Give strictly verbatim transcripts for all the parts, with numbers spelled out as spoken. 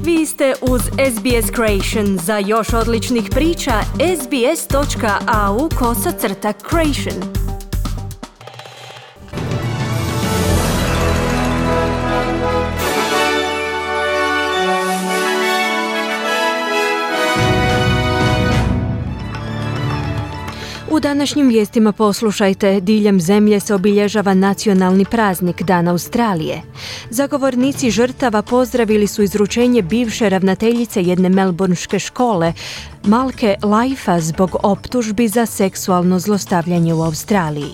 Vi ste uz S B S Creation. Za još odličnih priča, sbs.au kosacrta creation. U današnjim vijestima poslušajte, diljem zemlje se obilježava nacionalni praznik Dan Australije. Zagovornici žrtava pozdravili su izručenje bivše ravnateljice jedne melbourneške škole, Malke Laifa, zbog optužbi za seksualno zlostavljanje u Australiji.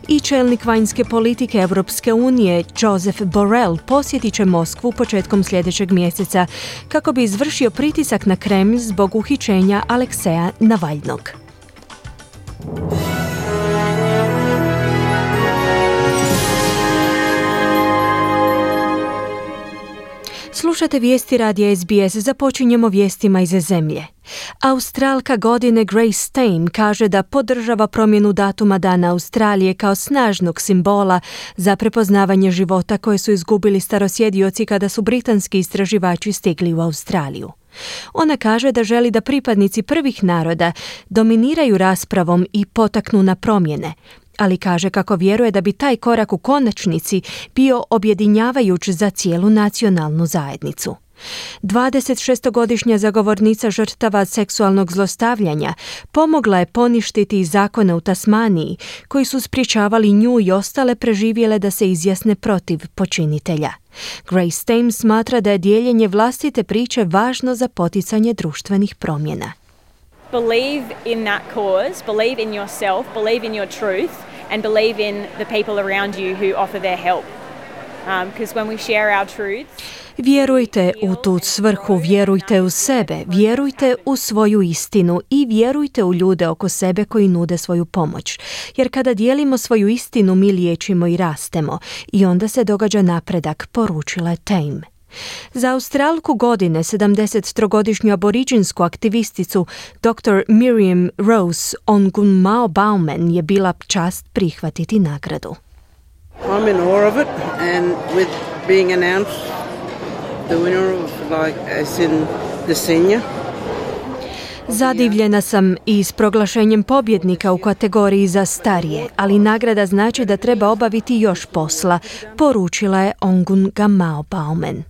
I čelnik vanjske politike Europske unije, Joseph Borrell, posjetit će Moskvu početkom sljedećeg mjeseca kako bi izvršio pritisak na Kremlj zbog uhićenja Alekseja Navalnog. Slušate vijesti radija S B S, započinjemo vijestima iz zemlje. Australka godine Grace Tame kaže da podržava promjenu datuma Dana Australije kao snažnog simbola za prepoznavanje života koje su izgubili starosjedioci kada su britanski istraživači stigli u Australiju. Ona kaže da želi da pripadnici prvih naroda dominiraju raspravom i potaknu na promjene, ali kaže kako vjeruje da bi taj korak u konačnici bio objedinjavajuć za cijelu nacionalnu zajednicu. dvadesetšestogodišnja zagovornica žrtava seksualnog zlostavljanja pomogla je poništiti zakone u Tasmaniji koji su sprječavali nju i ostale preživjele da se izjasne protiv počinitelja. Grace Tame smatra da je dijeljenje vlastite priče važno za poticanje društvenih promjena. Believe in that cause, believe in yourself, believe in your truth and believe in the people around you who offer their help. Because um, when we share our truths, vjerujte u tu svrhu, vjerujte u sebe, vjerujte u svoju istinu i vjerujte u ljude oko sebe koji nude svoju pomoć. Jer kada dijelimo svoju istinu, mi liječimo i rastemo i onda se događa napredak, poručila je Tame. Za Australku godine, sedamdesettrogodišnju aboriđinsku aktivisticu doktor Miriam Rose Ongunmao Bauman je bila čast prihvatiti nagradu. I'm in awe of it, and with being announced the winner of, like, as in the senior. Zadivljena sam i s proglašenjem pobjednika u kategoriji za starije, ali nagrada znači da treba obaviti još posla, poručila je Ongunmao Bauman.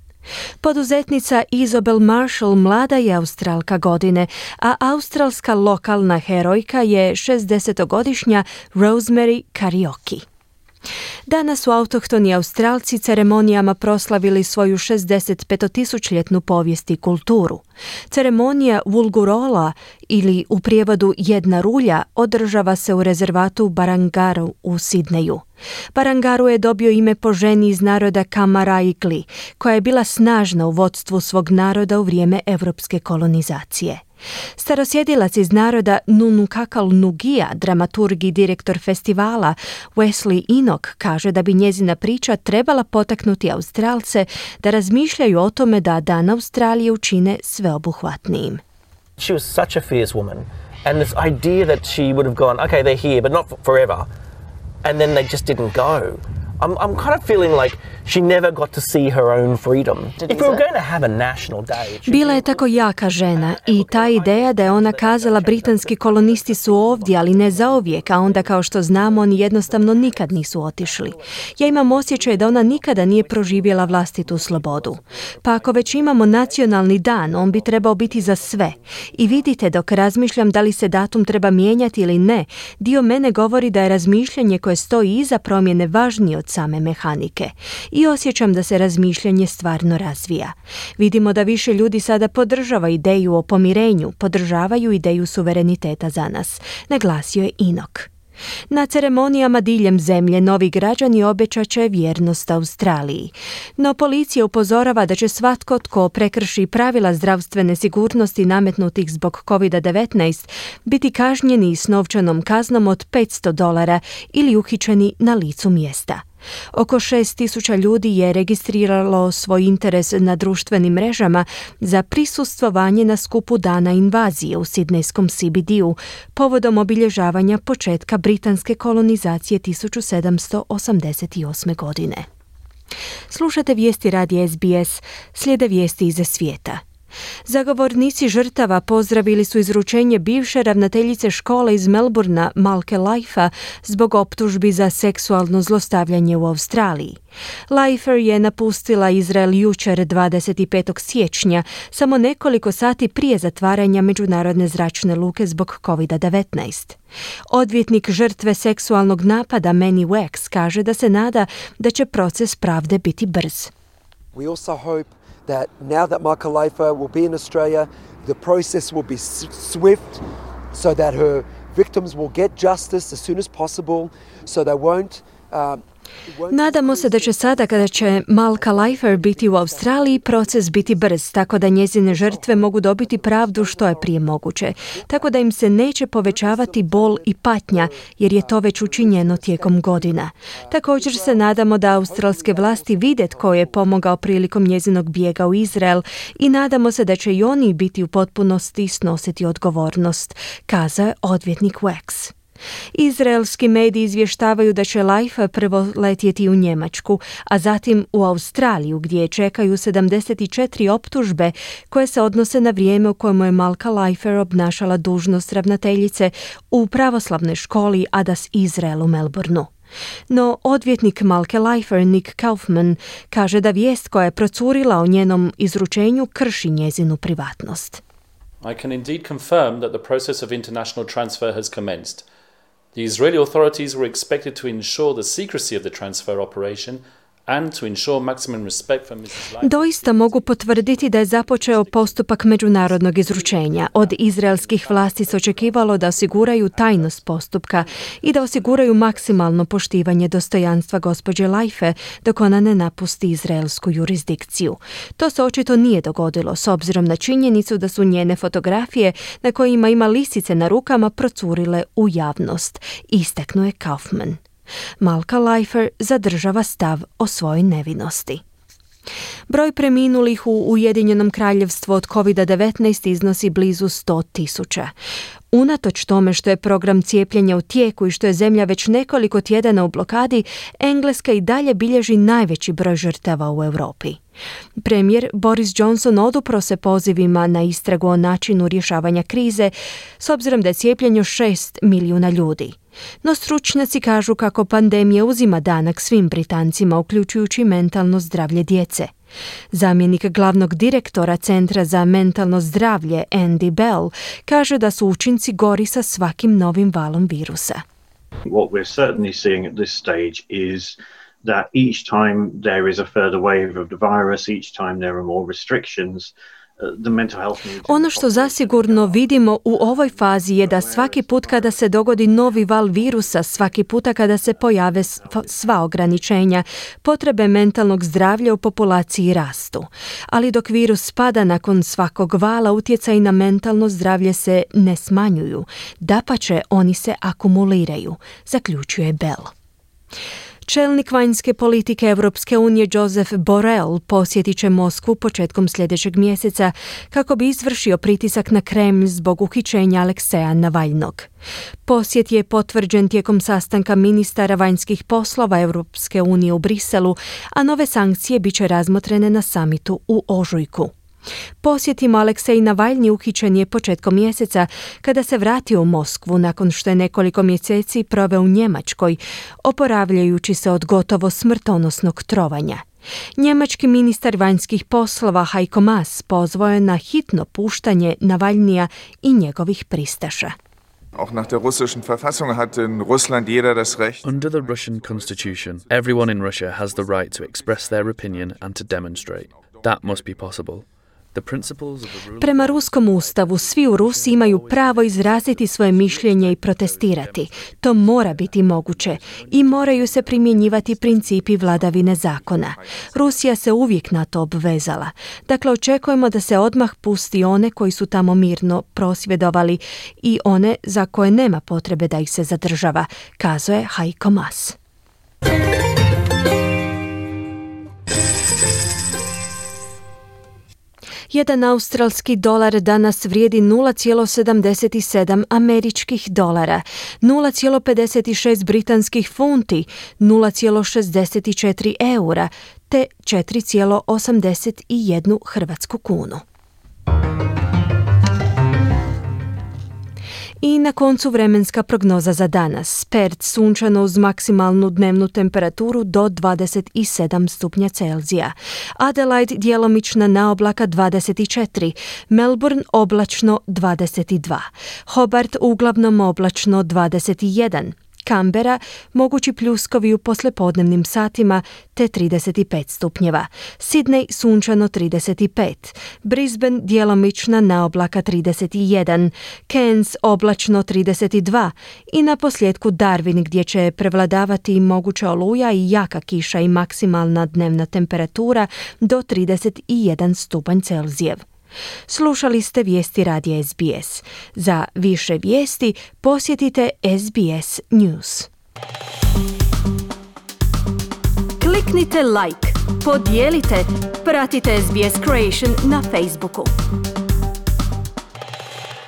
Poduzetnica Isabel Marshall mlada je Australka godine, a australska lokalna herojka je šezdesetogodišnja Rosemary Karaoke. Danas su autohtoni Australci ceremonijama proslavili svoju šezdesetpetotisućljetnu povijest i kulturu. Ceremonija Wulgurola, ili u prijevodu jedna rulja, održava se u rezervatu Barangaru u Sidneju. Barangaru je dobio ime po ženi iz naroda Kamaraigli, koja je bila snažna u vodstvu svog naroda u vrijeme evropske kolonizacije. Starosjedilac iz naroda Nunukakal Nugija, dramaturg i direktor festivala Wesley Enoch, kaže da bi njezina priča trebala potaknuti Australce da razmišljaju o tome da Dan Australije učine sveobuhvatnijim. She was such a fierce woman, and this idea that she would have gone, okay, they're here, but not forever, and then they just didn't go. I'm, I'm kind of feeling like she never got to see her own freedom. If we were going to have a national day... Bila je tako jaka žena i ta ideja da je ona kazala britanski kolonisti su ovdje, ali ne zauvijek, a onda kao što znamo oni jednostavno nikad nisu otišli. Ja imam osjećaj da ona nikada nije proživjela vlastitu slobodu. Pa ako već imamo nacionalni dan, on bi trebao biti za sve. I vidite, dok razmišljam da li se datum treba mijenjati ili ne, dio mene govori da je razmišljanje koje stoji iza promjene važnije od same mehanike. I osjećam da se razmišljanje stvarno razvija. Vidimo da više ljudi sada podržava ideju o pomirenju, podržavaju ideju suvereniteta za nas, naglasio je Enoch. Na ceremonijama diljem zemlje novi građani obećat će vjernost Australiji. No policija upozorava da će svatko tko prekrši pravila zdravstvene sigurnosti nametnutih zbog covid devetnaest biti kažnjeni s novčanom kaznom od petsto dolara ili uhićeni na licu mjesta. Oko šest tisuća ljudi je registriralo svoj interes na društvenim mrežama za prisustvovanje na skupu Dana invazije u sidnejskom C B D-u povodom obilježavanja početka britanske kolonizacije tisuću sedamsto osamdeset osme. godine. Slušate vijesti radija S B S, slijede vijesti iz svijeta. Zagovornici žrtava pozdravili su izručenje bivše ravnateljice škole iz Melbourna, Malke Leifer, zbog optužbi za seksualno zlostavljanje u Australiji. Leifer je napustila Izrael jučer dvadeset petog siječnja, samo nekoliko sati prije zatvaranja međunarodne zračne luke zbog covid devetnaest. Odvjetnik žrtve seksualnog napada Manny Wax kaže da se nada da će proces pravde biti brz. We also hope that now that Malka Leifer will be in Australia, the process will be swift so that her victims will get justice as soon as possible, so they won't um, Nadamo se da će sada kada će Malka Leifer biti u Australiji proces biti brz, tako da njezine žrtve mogu dobiti pravdu što je prije moguće, tako da im se neće povećavati bol i patnja, jer je to već učinjeno tijekom godina. Također se nadamo da australske vlasti vide tko je pomogao prilikom njezinog bijega u Izrael i nadamo se da će i oni biti u potpunosti snositi odgovornost, kazao je odvjetnik Wax. Izraelski mediji izvještavaju da će Leifer prvo letjeti u Njemačku, a zatim u Australiju, gdje čekaju sedamdeset četiri optužbe koje se odnose na vrijeme u kojemu je Malka Leifer obnašala dužnost ravnateljice u pravoslavnoj školi Adas Izrael u Melbourneu. No, odvjetnik Malke Leifer, Nick Kaufman, kaže da vijest koja je procurila o njenom izručenju krši njezinu privatnost. I can indeed confirm that the process of international transfer has commenced. The Israeli authorities were expected to ensure the secrecy of the transfer operation and to ensure maximum respect for missus Leifer. Doista mogu potvrditi da je započeo postupak međunarodnog izručenja. Od izraelskih vlasti se očekivalo da osiguraju tajnost postupka i da osiguraju maksimalno poštivanje dostojanstva gospođe Leifer dok ona ne napusti izraelsku jurisdikciju. To se očito nije dogodilo s obzirom na činjenicu da su njene fotografije na kojima ima lisice na rukama procurile u javnost, istaknuo je Kaufman. Malka Leifer zadržava stav o svojoj nevinosti. Broj preminulih u Ujedinjenom kraljevstvu od covid devetnaest iznosi blizu sto tisuća. Unatoč tome što je program cijepljenja u tijeku i što je zemlja već nekoliko tjedana u blokadi, Engleska i dalje bilježi najveći broj žrtava u Europi. Premijer Boris Johnson odupro se pozivima na istragu o načinu rješavanja krize, s obzirom da je cijepljeno šest milijuna ljudi. No stručnjaci kažu kako pandemija uzima danak svim Britancima, uključujući mentalno zdravlje djece. Zamjenik glavnog direktora Centra za mentalno zdravlje Andy Bell kaže da su učinci gori sa svakim novim valom virusa. What we're certainly seeing at this stage is that each time there is a further wave of the virus, each time there are more restrictions, the mental health needs. Ono što zasigurno vidimo u ovoj fazi je da svaki put kada se dogodi novi val virusa, svaki puta kada se pojave sva ograničenja, potrebe mentalnog zdravlja u populaciji rastu. Ali dok virus spada nakon svakog vala, utjecaj na mentalno zdravlje se ne smanjuju. Dapače, oni se akumuliraju, zaključuje Bell. Čelnik vanjske politike Europske unije Joseph Borrell posjetit će Moskvu početkom sljedećeg mjeseca kako bi izvršio pritisak na Kremlj zbog uhićenja Alekseja Navalnog. Posjet je potvrđen tijekom sastanka ministara vanjskih poslova Europske unije u Briselu, a nove sankcije bit će razmotrene na samitu u ožujku. Posjetimo Aleksej Navalni uhićen je početkom mjeseca kada se vratio u Moskvu nakon što je nekoliko mjeseci proveo u Njemačkoj, oporavljajući se od gotovo smrtonosnog trovanja. Njemački ministar vanjskih poslova Heiko Maas pozvao je na hitno puštanje Navalnija i njegovih pristaša. Auch nach der russischen Verfassung hat in Russland jeder das Recht. Under the Russian constitution, everyone in Russia has the right to express their opinion and to demonstrate. That must be possible. Prema ruskom ustavu, svi u Rusiji imaju pravo izraziti svoje mišljenje i protestirati. To mora biti moguće i moraju se primjenjivati principi vladavine zakona. Rusija se uvijek na to obvezala. Dakle, očekujemo da se odmah pusti one koji su tamo mirno prosvjedovali i one za koje nema potrebe da ih se zadržava, kazao je Heiko Maas. Jedan australski dolar danas vrijedi nula zarez sedamdeset sedam američkih dolara, nula zarez pedeset šest britanskih funti, nula zarez šezdeset četiri eura te četiri zarez osamdeset jedan hrvatsku kunu. I na koncu vremenska prognoza za danas. Perth sunčano uz maksimalnu dnevnu temperaturu do dvadeset sedam stupnja Celzija. Adelaide djelomična naoblaka dvadeset četiri, Melbourne oblačno dvadeset dva, Hobart uglavnom oblačno dvadeset jedan, Canberra mogući pljuskovi u poslijepodnevnim satima te trideset pet stupnjeva, Sydney sunčano trideset pet, Brisbane djelomična naoblaka trideset jedan, Cairns oblačno trideset dva i na posljedku Darwin gdje će prevladavati moguća oluja i jaka kiša i maksimalna dnevna temperatura do trideset jedan stupanj Celzijev. Slušali ste vijesti radija S B S. Za više vijesti posjetite S B S News. Kliknite like, podijelite, pratite S B S Creation na Facebooku.